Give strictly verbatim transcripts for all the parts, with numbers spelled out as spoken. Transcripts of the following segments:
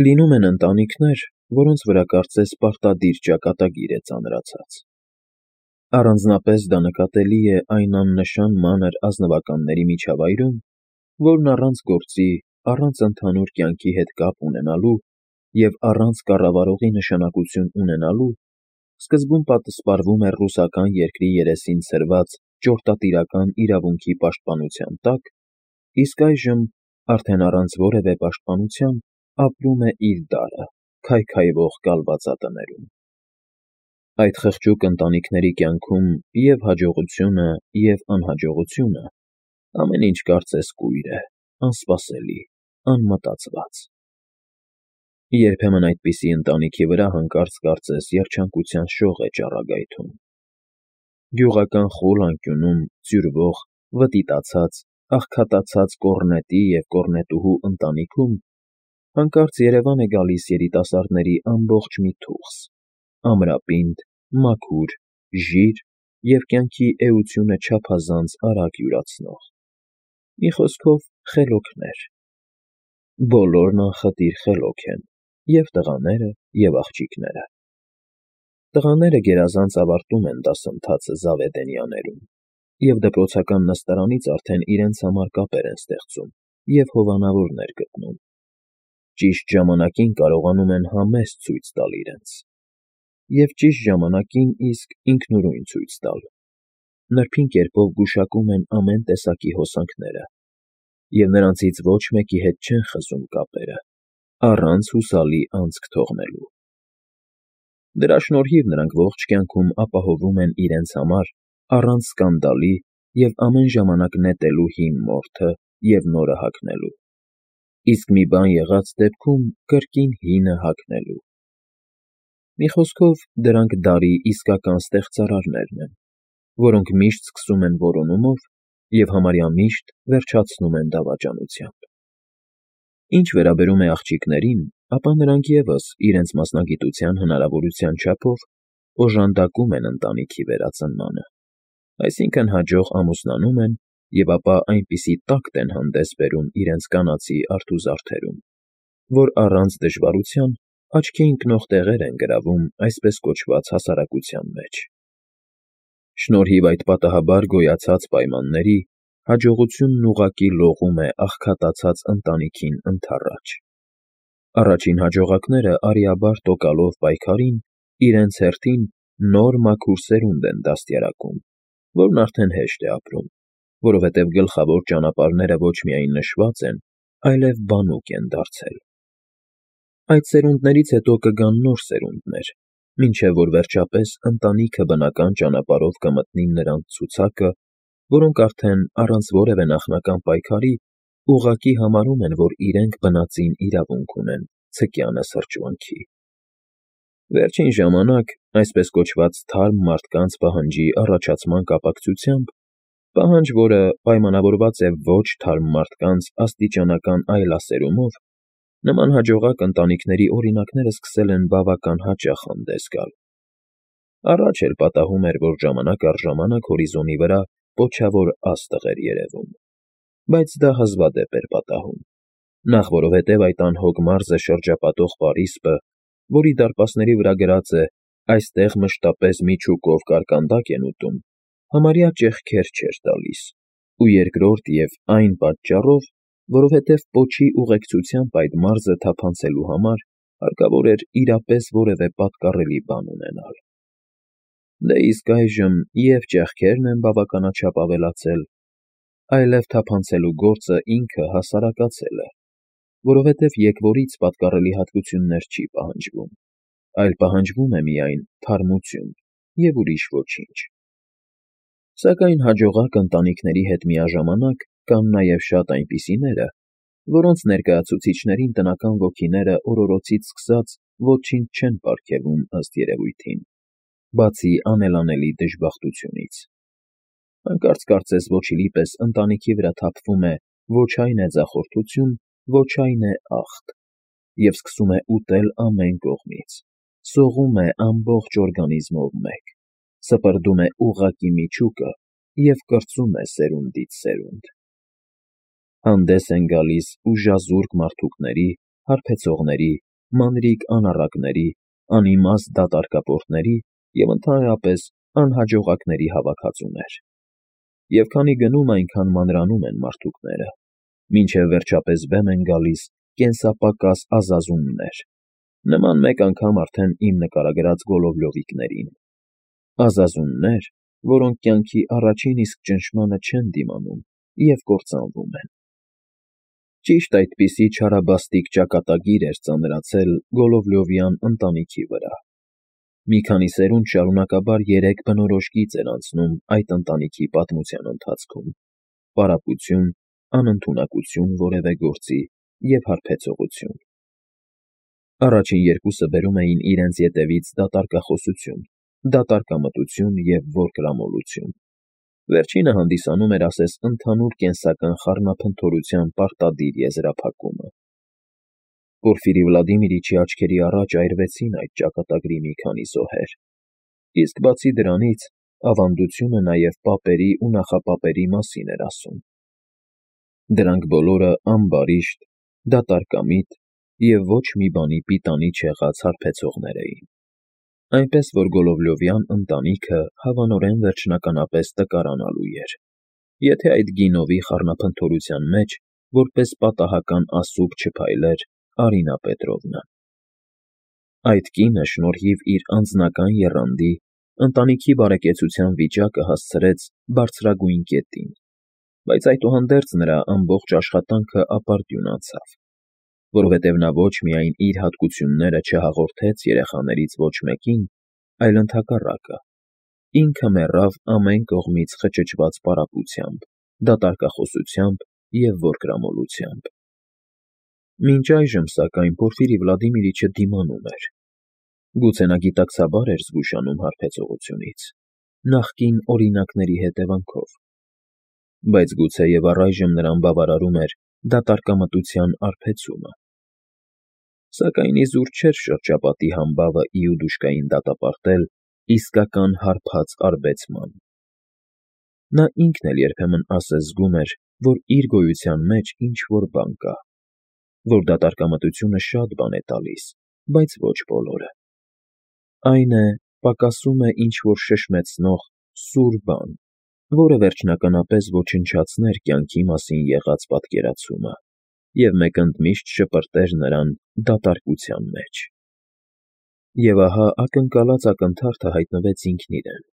Լինում են ընտանիքներ, որոնց վրա կարծես պարտադիր ճակատագիր է ծանրացած։ Առանձնապես դա նկատելի է այն աննշան մանր ազնվականների միջավայրում, որն առանց գործի, առանց ընդհանուր կյանքի հետ կապ ունենալու և առանց կառավարողի նշանակություն ունենալու, սկզբում պատսպարվում էր ռուսական երկրի երեսին ցրված ճորտատիրական իրավունքի պաշտպանության տակ, իսկ այժմ, արդեն առանց որևէ պաշտպանության, ապրում է իր դարը քայքայվող կալվածատներում։ Այդ խղճուկ ընտանիքների կյանքում և՛ հաջողությունը, և՛ անհաջողությունը, ամեն ինչ կարծես կույր է, անսպասելի, անմտածված։ Երբեմն այդպիսի ընտանիքի վրա հանկարծ կարծես երջանկության շող է ճառագայթում։ Գյուղական խուլ անկյունում ձյուրվող, վտիտացած, աղքատացած կոռնետի և կոռնետուհու ընտանիքում հանկարծ երևան է գալիս երիտասարդների ամբողջ մի թուղթ՝ ամրապինդ, մաքուր, ժիր և կյանքի էությունը չափազանց արագ յուրացնող, մի խոսքով, խելոքներ։ Բոլորն անխտիր խելոք են՝ և՛ տղաները, և՛ աղջիկները։ Տղաները գերազանց ավարտում են դասընթացը Զավեդենյաներում և դպրոցական նստարանից արդեն իրենց համար կապեր են ստեղծում և հովանավորներ գտնում։ Ճիշտ ժամանակին կարողանում են համեստ ցույց տալ իրենց, և ճիշտ ժամանակին իսկ ինքնուրույն ցույց տալ, նրբին կերպով գուշակում են ամեն տեսակի հոսանքները, և նրանցից ոչ մեկի հետ չեն խզում կապերը, առանց հուսալի անցք թողնելու։ Դրա շնորհիվ նրանք ողջ կյանքում ապահովում են իրենց համար առանց սկանդալի և ամեն ժամանակ նետելու հին մորթը և նորը հագնելու, իսկ մի բան եղած դեպքում կրկին հինը հագնելու։ Մի խոսքով, դրանք դարի իսկական ստեղծարարներն են, որոնք միշտ սկսում են որոնումով և համարյա միշտ վերջացնում են դավաճանությամբ։ Ինչ վերաբերում է աղջիկներին, ապա նրանք ևս իրենց մասնագիտության հնարավորության չափով օժանդակում են ընտանիքի վերածնմանը, այսինքն՝ հաջող ամուսնանում են և ապա այնպիսի տակտ են հանդես բերում իրենց կանացի արթուզարդերում, որ առանց դժվարության աչքի ընկնող տեղեր են գրավում այսպես կոչված հասարակության մեջ։ Շնորհիվ այդ պատահաբար գոյացած պայմանների, հաջողությունն ուղղակի լողում է աղքատացած ընտանիքին ընդառաջ։ Առաջին հաջողակները արիաբար տոկալով պայքարին իրենց հերթին նոր մաքուր սերունդ են դաստիարակում, որն արդեն հեշտ է ապրում, որովհետև գլխավոր ճանապարհները ոչ միայն նշված են, այլև բանուկ են դարձել։ Այդ սերունդներից հետո կգան նոր սերունդներ, մինչև որ վերջապես ընտանիքը բնական ճանապարհով կմտնի նրանց ցուցակը, որոնք արդեն, առանց որևէ նախնական պայքարի, ուղղակի համարում են, որ իրենք բնածին իրավունք ունեն ցկյանը սրճվանքի։ Վերջին ժամանակ, այսպես կոչված թարմ մարդկանց պահանջի առաջացման կապակցությամբ, պահանջ, որը պայմանավորված է ոչ թարմ մարդկանց աստիճանական այլասերումով, նման հաջողակ ընտանիքների օրինակները սկսել են բավական հաճախ հանդես գալ։ Առաջ էլ պատահում էր, որ ժամանակ առ ժամանակ հորիզոնի վրա պոչավոր աստղ էր երևում, բայց դա հազվադեպ էր պատահում, նախ որովհետև այդ անհոգ մարզը շրջապատող պարիսպը, որի դարպասների վրա գրած է «Այստեղ մշտապես միջուկով կարկանդակ են ուտում», համարյա ճեղքեր չէր տալիս, ու երկրորդ և այն պատճառով, որովհետև պոչի ուղեկցությամբ այդ մարզը թափանցելու համար հարկավոր էր իրապես որևէ պատկառելի բան ունենալ։ Դե իսկ այժմ և՛ ճեղքերն են բավականաչափ ավելացել, այլև թափանցելու գործը ինքը հասարակացել է, որովհետև եկվորից պատկառելի հատկություններ չի պահանջվում, այլ պահանջվում է միայն թարմություն և ուրիշ ոչինչ։ Սակայն հաջողակ ընտանիքների հետ միաժամանակ կան նաև շատ այնպիսիները, որոնց ներկայացուցիչներին տնական ոգիները օրորոցից սկսած ոչինչ չեն պարգևում ըստ երևույթին, բացի անելանելի դժբախտությունից։ Հանկարծ կարծես ոչինչ պես ընտանիքի վրա թափվում է ոչ այն հեծախորդություն, ոչ այն է ախտ, և սկսում է ուտել ամեն կողմից, սողում է ամբողջ օրգանիզմով մեկ, սպրդում է ուղղակի միջուկը և կրծում է սերունդից սերունդ։ Հանդես են գալիս ուժազուրկ մարդուկների, հարբեցողների, մանրիկ անառակների, անիմաստ դատարկապորտների և ընդհանրապես անհաջողակների հավաքածուներ։ Եվ քանի գնում, այնքան մանրանում են մարդուկները, մինչև վերջապես բեմ են գալիս կենսապակաս ազազումներ, նման մեկ անգամ արդեն իմ նկարագրած գոլովլյովիկներին, ազազումներ, որոնք կյանքի առաջին իսկ ճնշմանը չեն դիմանում և կործանվում են։ Ճիշտ այդպիսի չարաբաստիկ ճակատագիր էր ծանրացել Գոլովլյովյան ընտանիքի վրա։ Մի քանի սերունդ շարունակաբար երեք բնորոշ գիծ էր անցնում այդ ընտանիքի պատմության ընթացքում՝ պարապություն, անընդունակություն որևէ գործի և հարբեցողություն։ Առաջին երկուսը բերում էին իրենց ետևից դատարկախոսություն, դատարկամտություն և որկրամոլություն։ Վերջինը հանդիսանում էր ասես ընդհանուր կենսական խառնափնթորության պարտադիր եզրափակումը։ Պորֆիրի Վլադիմիրիչի աչքերի առաջ այրվեցին այդ ճակատագրի մի քանի զոհեր, իսկ բացի դրանից, ավանդությունը նաև պապերի ու նախապապերի մասին էր ասում։ Դրանք բոլորը ամբարիշտ, դատարկամիտ և ոչ մի բանի պիտանի չեղած հարբեցողներ էին, այնպես որ Գոլովլյովյան ընտանիքը հավանորեն վերջնականապես տկարանալու էր, եթե այդ գինովի խառնափնթորության մեջ որպես պատահական ասուբ չփայլեր Արինա Պետրովնան։ Այդ կինը շնորհիվ իր անձնական եռանդի, ընտանիքի բարեկեցության վիճակը հասցրեց բարձրագույն կետին, բայց այդուհանդերձ նրա ամբողջ աշխատանքը ապարդյուն անցավ, որովհետև նա ոչ միայն իր հատկությունները չհաղորդեց երեխաներից ոչ մեկին, այլ ընդհակառակը, ինքը մեռավ ամեն կողմից խճճված պարապությամբ, դատարկախոսությամբ և որկրամոլությամբ։ Մինչ այժմ, սակայն, Պորֆիրի Վլադիմիրիչը դիմանում էր։ Գուցե նա գիտակցաբար էր զգուշանում հարբեցողությունից, նախկին օրինակների հետևանքով, բայց գուցեև առայժմ նրան բավարարում էր դատարկամտության արբեցումը։ Սակայն իզուր չէր շրջապատի համբավը իուդուշկային դատապարտել իսկական հարբած արբեցման։ Նա ինքն էլ երբեմն ասես զգում էր, որ իր գոյության մեջ ինչ֊որ բան կա, որ դատարկամտությունը շատ բան է տալիս, բայց ոչ բոլորը։ Այն է, պակասում է ինչ֊որ շշմեցնող, սուր բան, որը վերջնականապես ոչնչացներ կյանքի մասին եղած պատկերացումը և մեկընդմիշտ շպրտեր նրան դատարկության մեջ։ Եվ ահա ակնկալած ակնթարթը հայտնվեց ինքն իրեն։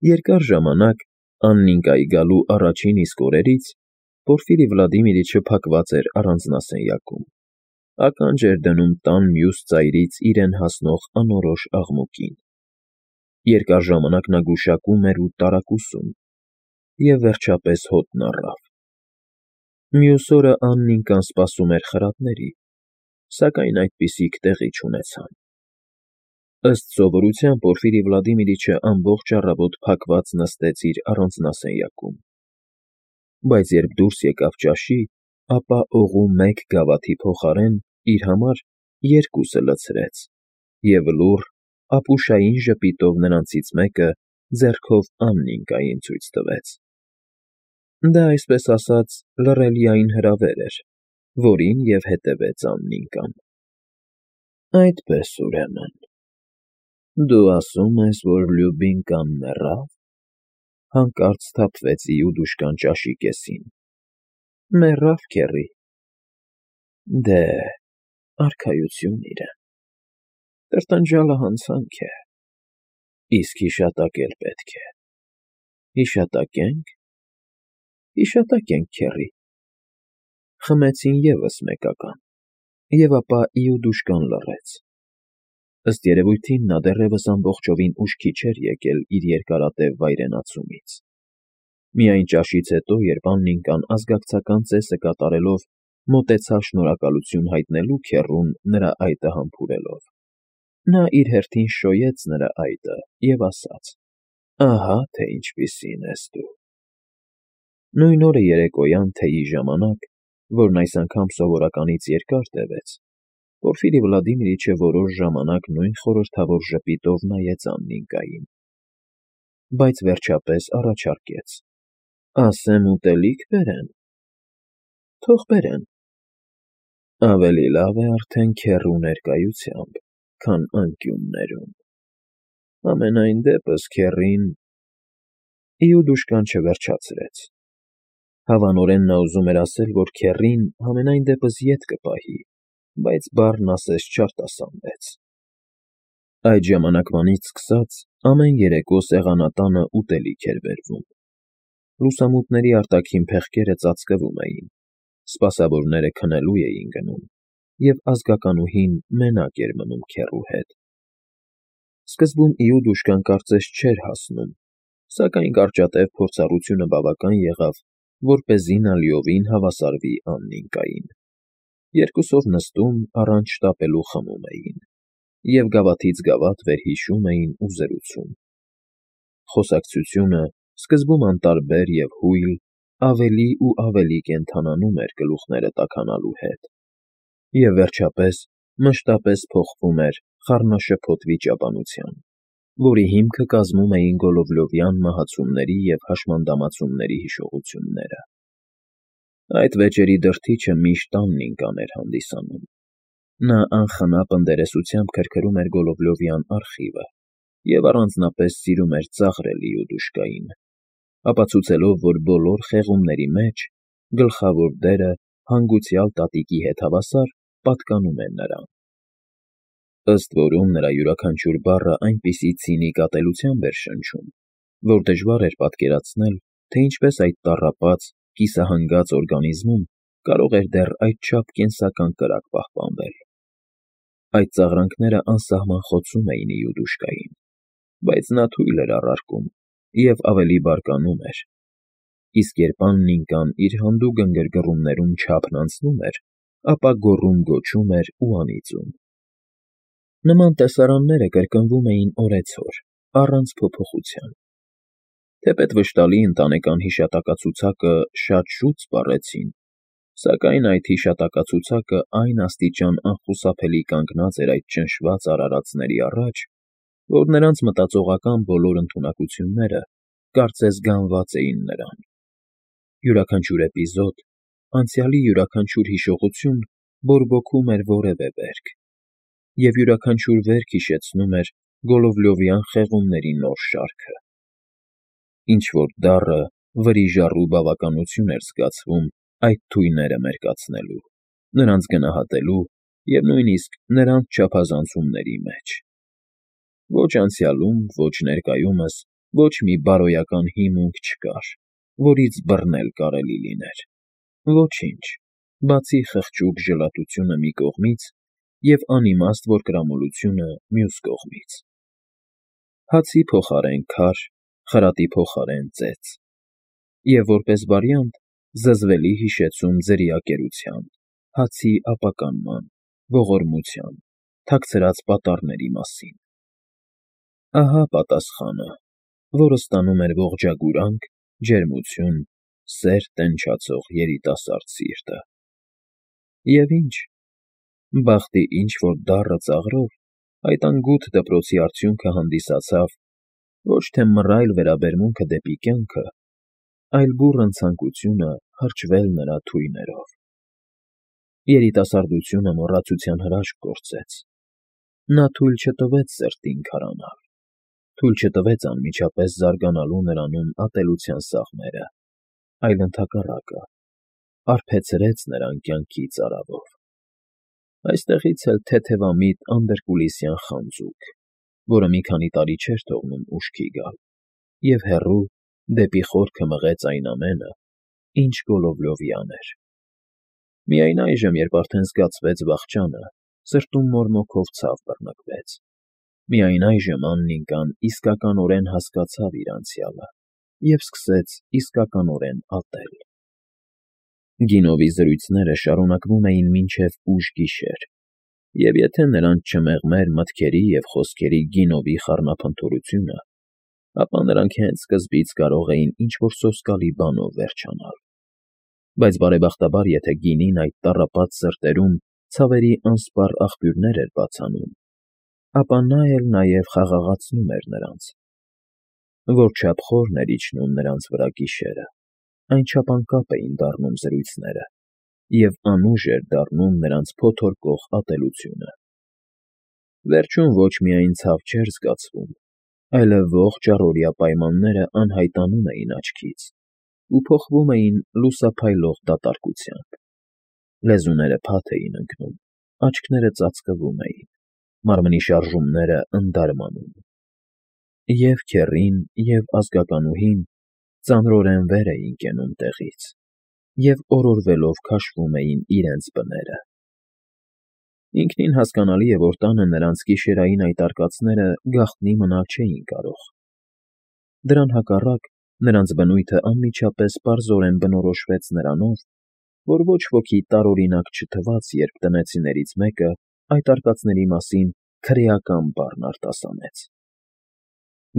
Երկար ժամանակ, Աննիկայի գալու առաջին իսկ օրերից, Պորֆիրի Վլադիմիրիչը փակված էր առանձնասենյակում, ականջ էր դնում տան մյուս ծայրից իրեն հասնող անորոշ աղմուկին։ Երկար ժամանակ նա գուշակում էր ու տարակուսում, և վերջապես հոտն առավ։ Մյուս օրը Աննիկան սպասում էր խրատների, սակայն այդպիսիք տեղի չունեցան։ Ըստ սովորության Պորֆիրի Վլադիմիրիչը ամբողջ առավոտ փակված նստեց իր առանձնասենյակում, բայց երբ դուրս եկավ ճաշի, ապա օղու մեկ գավաթի փոխարեն իր համար երկուսը լցրեց և լուռ, ապուշային ժպիտով նրանցից մեկը ձեռքով Աննիկային ցույց տվեց։ Դա, այսպես ասած, լռելիային հրավեր էր, որին և հետևեց Աննիկան։ Այդպես, ուրեմն, դու ասում ես, որ Լյուբինկան մեռավ,֊ հանկարծ սթափվեց Իուդուշկան ճաշի կեսին։ ֊ Մեռավ, քեռի։ ֊ Դե, արքայություն իրեն… Տրտնջալը հանցանք է, իսկ հիշատակել պետք է։ Հիշատակե՞նք։ ֊ Հիշատակենք, քեռի։ Խմեցին ևս մեկական, և ապա Իուդուշկան լռեց։ Ըստ երևույթին նա դեռևս ամբողջովին ուշքի չէր եկել իր երկարատև վայրենացումից։ Միայն ճաշից հետո, երբ Աննիկան ազգակցական ծեսը կատարելով մոտեցավ շնորհակալություն հայտնելու քեռուն նրա այտը համբուրելով, նա իր հերթին շոյեց նրա այտը և ասաց. «Ահա թե ինչպիսին ես դու»։ Նույն օրը երեկոյան թեյի ժամանակ, որն այս անգամ սովորականից երկար տևեց, Պորֆիրի Վլադիմիրիչը որոշ ժամանակ նույն խորհրդավոր ժպիտով նայեց Աննիկային, բայց վերջապես առաջարկեց. «Ասեմ ուտելիք բերե՞ն»։ ֊ Թող բերեն։ Ավելի լավ է արդեն քեռու ներկայությամբ, քան անկյուններում։ Համենայն դեպս քեռին… Իուդուշկան չվերջացրեց։ Հավանորեն նա ուզում էր ասել, որ քեռին համենայն դեպս ետ կպահի, բայց բառն ասես չարտասանվեց։ Այդ ժամանակվանից սկսած ամեն երեկո սեղանատանը ուտելիք էր բերվում։ Լուսամուտների արտաքին փեղկերը ծածկվում էին, սպասավորները քնելու էին գնում, և ազգականուհին մենակ էր մնում քեռու հետ։ Սկզբում Իուդուշկան կարծես չէր հասնում, սակայն կարճատև փորձառությունը բավական եղավ, որպեսզի նա լիովին հավասարվի Աննիկային։ Երկուսով նստում, առանց շտապելու խմում էին, և գավաթից գավաթ վերհիշում էին ու զրուցում։ Խոսակցությունը, սկզբում անտարբեր և հույլ, ավելի ու ավելի կենդանանում էր գլուխները տաքանալու հետ, և վերջապես մշտապես փոխվում էր խառնաշփոթ վիճաբանության, որի հիմքը կազմում էին Գոլովլովյան մահացումների և հաշմանդամացումների հիշողությունները։ Այդ վեճերի դրդիչը միշտ Աննիկան էր հանդիսանում։ Նա անխնա պնդերեսությամբ քրքրում էր Գոլովլովյան արխիվը և առանձնապես սիրում էր ծաղրել Իուդուշկային, ապացուցելով, որ բոլոր խեղումների մեջ գլխավոր դերը հանգուցյալ տատիկի հետ հավասար պատկանում է նրան։ Ըստ որում, նրա յուրաքանչյուր բառը այնպիսի ցինիկ ատելությամբ էր շնչում, որ դժվար էր պատկերացնել, թե ինչպես այդ տառապած, կիսահանգած օրգանիզմում կարող էր դեռ այդչափ կենսական կրակ պահպանվել։ Այդ ծաղրանքները անսահման խոցում էին Իուդուշկային, բայց նա թույլ էր առարկում և ավելի բարկանում էր, իսկ երբ Աննիկան իր հանդուգն գրգռումներում չափն անցնում էր, ապա գոռում֊գոչում էր ու անիծում։ Նման տեսարանները կրկնվում էին օրեցօր, առանց փոփոխության։ Թեպետ վշտալի ընտանեկան հիշատակացուցակը շատ շուտ սպառեցին, սակայն այդ հիշատակացուցակը այն աստիճան անխուսափելի կանգնած էր այդ ճնշված արարածների առաջ, որ նրանց մտածողական բոլոր ընդունակությունները կարծես գանված էին նրան։ Յուրաքանչյուր էպիզոդ, անցյալի յուրաքանչյուր հիշողություն բորբոքում էր որևէ վերք, և յուրաքանչյուր վերք հիշեցնում էր Գոլովլովյան խեղումների նոր շարքը։ Ինչ֊որ դառը, վրիժառու բավականություն էր զգացվում այդ թույները մերկացնելու, նրանց գնահատելու և նույնիսկ նրանց չափազանցումների մեջ։ Ոչ անցյալում, ոչ ներկայումս ոչ մի բարոյական հիմունք չկար, որից բռնել կարելի լիներ։ Ոչինչ, բացի խղճուկ ժլատությունը մի կողմից և անիմաստ որկրամոլությունը մյուս կողմից։ Հացի փոխարեն քար, խրատի փոխարեն ծեծ։ Եվ որպես վարիանտ, զզվելի հիշեցում ձրիակերության, հացի ապականման, ողորմության, թաքցրած պատառների մասին։ Ահա պատասխանը, որը ստանում էր ողջագուրանք, ջերմություն, սեր տենչացող երիտասարդ սիրտը։ Եվ ինչ… Բախտի ինչ֊որ դառը ծաղրով այդ անգութ դպրոցի արդյունքը հանդիսացավ ոչ թե մռայլ վերաբերմունքը դեպի կյանքը, այլ բուռն ցանկությունը հրճվել նրա թույներով։ Երիտասարդությունը մոռացության հրաշք գործեց։ Նա թույլ չտվեց սրտին քարանալ, թույլ չտվեց անմիջապես զարգանալու նրանում ատելության սաղմերը, այլ ընդհակառակը, արբեցրեց նրան կյանքի ծարավով։ Այստեղից էլ թեթևամիտ անդրկուլիսյան խանձուկ, որը մի քանի տարի չէր թողնում ուշքի գալ, և հեռու, դեպի խորքը մղեց այն ամենը, ինչ Գոլովլովյան էր։ Միայն այժմ, երբ արդեն զգացվեց վախճանը, սրտում մորմոքով ցավ բռնկվեց։ Միայն այժմ Աննիկան իսկականորեն հասկացավ իր անցյալը և սկսեց իսկականորեն ատել։ Գինովի զրույցները շարունակվում էին մինչև ուշ գիշեր, և եթե նրանց չմեղմեր մտքերի և խոսքերի գինովի խառնափնթորությունը, ապա նրանք հենց սկզբից կարող էին ինչ֊որ սոսկալի բանով վերջանալ։ Բայց բարեբախտաբար, եթե գինին այդ տառապած սրտերում ցավերի անսպառ աղբյուրներ էր բացանում, ապա նա էլ նաև խաղաղացնում էր նրանց։ Որչափ խորն էր իջնում նրանց վրա գիշերը, այնչափ անկապ էին դառնում զրույցները, և անուժ էր դառնում նրանց փոթորկող ատելությունը։ Վերջում ոչ միայն ցավ չէր զգացվում, այլև ողջ առօրյա պայմանները անհայտանում էին աչքից ու փոխվում էին լուսափայլող դատարկությամբ. լեզուները փաթ էին ընկնում, աչքերը ծածկվում էին, մարմնի շարժումները ընդարմանում։ Եվ քեռին, և ազգականուհին ծանրորեն վեր էին կենում տեղից և օրորվելով քաշվում էին իրենց բները։ Ինքնին հասկանալի է, որ տանը նրանց գիշերային այդ արկածները գաղտնի մնալ չէին կարող։ Դրան հակառակ, նրանց բնույթը անմիջապես պարզորեն բնորոշվեց նրանով, որ ոչ ոքի տարօրինակ չթվաց, երբ տնեցիներից մեկը այդ արկածների մասին քրեական բառն արտասանեց։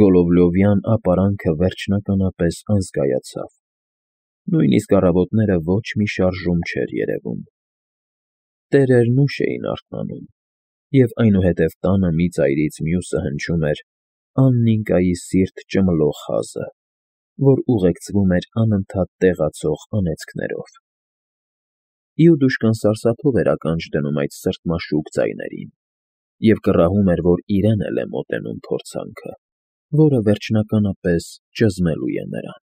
Գոլովլյովյան ապարանքը վերջնականապես անզգայացավ, նույնիսկ առավոտները ոչ մի շարժում չէր երևում։ Տերերն ուշ էին արթնանում, և այնուհետև տանը մի ծայրից մյուսը հնչում էր Աննիկայի սիրտ ճմլող հազը, որ ուղեկցվում էր անընդհատ տեղացող անեծքներով։ Իուդուշկան սարսափով էր ականջ դնում այդ սրտմաշուկ ձայներին և կռահում էր, որ իրեն էլ է մոտենում փորձանքը, որը վերջնականապես ճզմելու է նրան։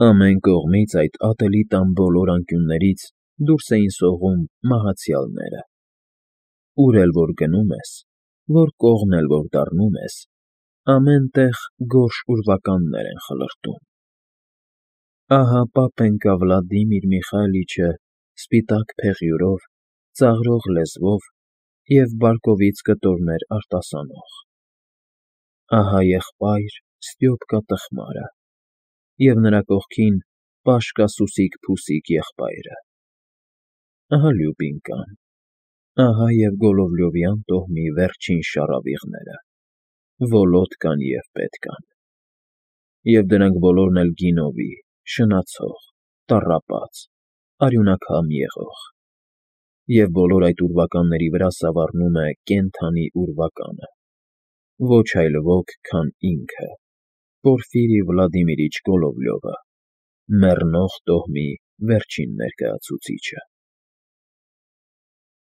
Ամեն կողմից այդ ատելի տան բոլոր անկյուններից դուրս էին սողում մահացյալները։ Ուր էլ որ գնում ես, որ կողմն էլ որ դառնում ես, ամեն տեղ գորշ ուրվականներ են խլրտում։ Ահա պապենկա Վլադիմիր Միխայիլիչը սպիտակ փեղյուրով, ծաղրող լեզվով և բարկովից կտորներ արտասանող։ Ահա եղբայր Ստյոպկա տխմարը, և նրա կողքին Պաշկա Սուսիկ֊փուսիկ եղբայրը։ Ահա Լյուբինկան, ահա և Գոլովլյովյան տոհմի վերջին շառավիղները՝ Վոլոդկան և Պետկան, և դրանք բոլորն էլ գինովի, շնացող, տառապած, արյունակամ եղող, և բոլոր այդ ուրվականների վրա սավառնում է կենդանի ուրվականը, ոչ այլ ոք, քան ինքը՝ Պորֆիրի Վլադիմիրիչ Գոլովլյովը, մեռնող տոհմի վերջին ներկայացուցիչը։